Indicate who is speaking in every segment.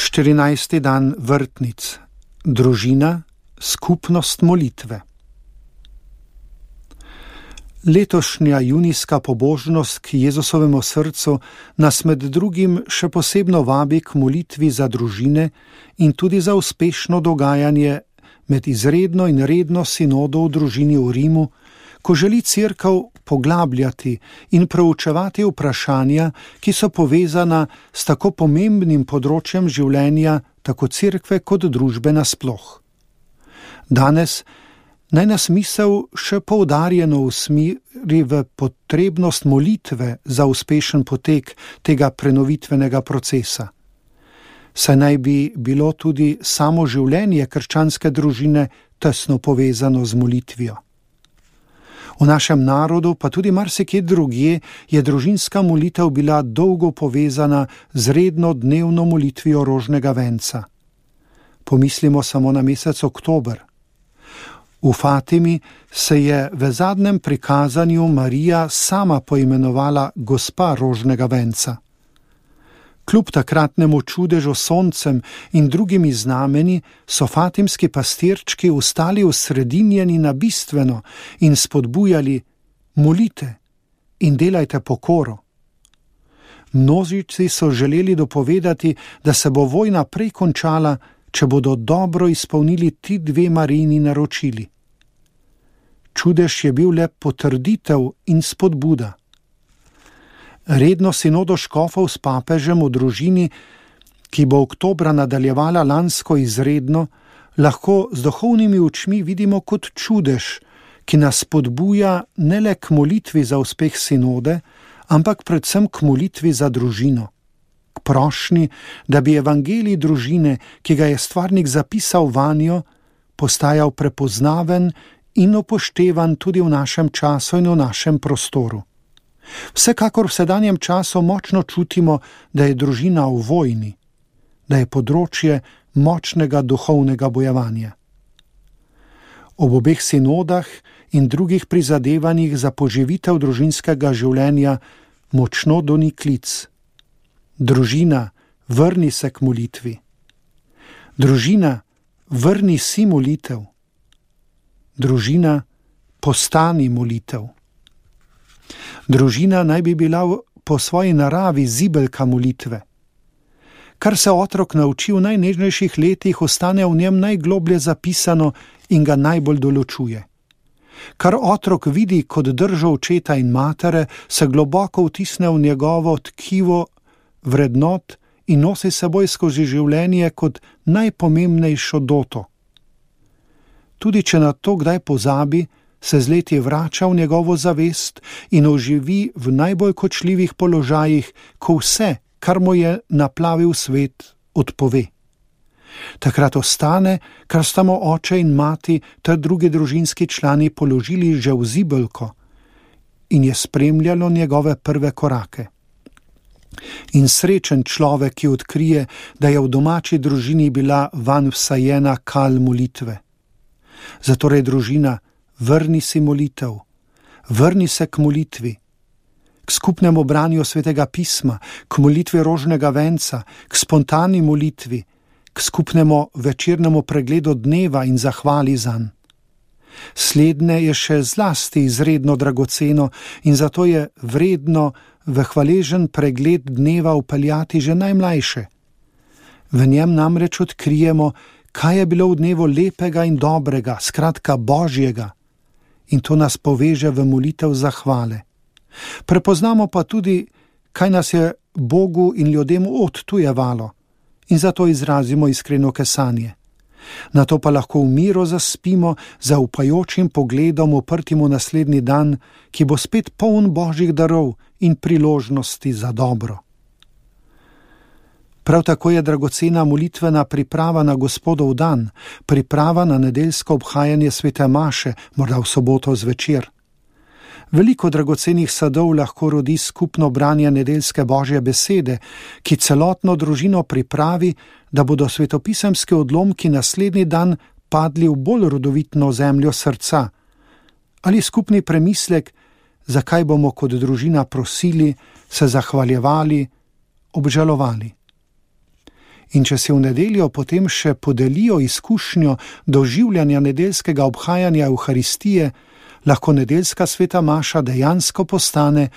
Speaker 1: 14. dan vrtnic. Družina, skupnost molitve. Letošnja junijska pobožnost k Jezusovemu srcu nas med drugim še posebno vabi k molitvi za družine in tudi za uspešno dogajanje med izredno in redno sinodo v družini v Rimu, ko želi Cerkev poglabljati in proučevati vprašanja, ki so povezana s tako pomembnim področjem življenja, tako Cerkve kot družbe nasploh. Danes naj nas misel še poudarjeno usmeri v potrebnost molitve za uspešen potek tega prenovitvenega procesa. Saj naj bi bilo tudi samo življenje krščanske družine tesno povezano z molitvijo. V našem narodu, pa tudi marsikje drugje, je družinska molitev bila dolgo povezana z redno dnevno molitvijo rožnega venca. Pomislimo samo na mesec oktober. V Fatimi se je v zadnjem prikazanju Marija sama poimenovala gospa rožnega venca. Kljub takratnemu čudežu s soncem in drugimi znameni so fatimski pastirčki ostali osredinjeni na bistveno in spodbujali: molite in delajte pokoro. Množici so želeli dopovedati, da se bo vojna prej končala, če bodo dobro izpolnili ti dve Marijini naročili. Čudež je bil le potrditev in spodbuda. Redno sinodo škofov s papežem v družini, ki bo oktobra nadaljevala lansko izredno, lahko z duhovnimi očmi vidimo kot čudež, ki nas spodbuja ne le k molitvi za uspeh sinode, ampak predvsem k molitvi za družino. K prošnji, da bi evangelij družine, ki ga je stvarnik zapisal vanjo, postajal prepoznaven in upoštevan tudi v našem času in v našem prostoru. Vsekakor v sedanjem času močno čutimo, da je družina v vojni, da je področje močnega duhovnega bojevanja. Ob obeh sinodah in drugih prizadevanjih za poživitev družinskega življenja močno doni klic: družina, vrni se k molitvi. Družina, vrni si molitev. Družina, postani molitev. Družina naj bi bila po svoji naravi zibelka molitve. Kar se otrok nauči v najnežnejših letih, ostane v njem najgloblje zapisano in ga najbolj določuje. Kar otrok vidi kot držo očeta in matere, se globoko vtisne v njegovo tkivo vrednot in nosi seboj skozi življenje kot najpomembnejšo doto. Tudi če na to kdaj pozabi, se z leti vrača v njegovo zavest in oživi v najbolj kočljivih položajih, ko vse, kar mu je naplavil svet, odpove. Takrat ostane, kar sta mu oče in mati ter drugi družinski člani položili že v zibelko in je spremljalo njegove prve korake. In srečen človek, ki odkrije, da je v domači družini bila vanj vsajena kal molitve. Zatorej družina, vrni si molitev, vrni se k molitvi, k skupnemu branju svetega pisma, k molitvi rožnega venca, k spontani molitvi, k skupnemu večernemu pregledu dneva in zahvali zanj. Slednje je še zlasti izredno dragoceno in zato je vredno v hvaležen pregled dneva vpeljati že najmlajše. V njem namreč odkrijemo, kaj je bilo v dnevu lepega in dobrega, skratka Božjega, in to nas poveže v molitev zahvale. Prepoznamo pa tudi, kaj nas je Bogu in ljudem odtujevalo, in zato izrazimo iskreno kesanje. Nato pa lahko v miru zaspimo za upajočim pogledom uprtim v naslednji dan, ki bo spet poln Božjih darov in priložnosti za dobro. Prav tako je dragocena molitvena priprava na Gospodov dan, priprava na nedeljsko obhajanje svete maše, morda v soboto zvečer. Veliko dragocenih sadov lahko rodi skupno branje nedeljske Božje besede, ki celotno družino pripravi, da bodo svetopisemski odlomki naslednji dan padli v bolj rodovitno zemljo srca. Ali skupni premislek, zakaj bomo kot družina prosili, se zahvaljevali, obžalovali. In če si v nedeljo potem še podelijo izkušnjo doživljanja nedeljskega obhajanja Evharistije, lahko nedeljska sveta maša dejansko postane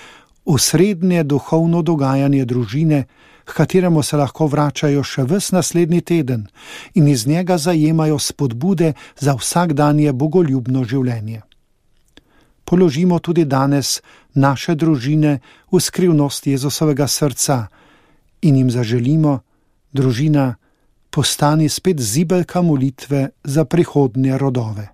Speaker 1: osrednje duhovno dogajanje družine, h kateremu se lahko vračajo še ves naslednji teden in iz njega zajemajo spodbude za vsakdanje bogoljubno življenje. Položimo tudi danes naše družine v skrivnost Jezusovega srca in jim zaželimo: družina, postani spet zibelka molitve za prihodnje rodove.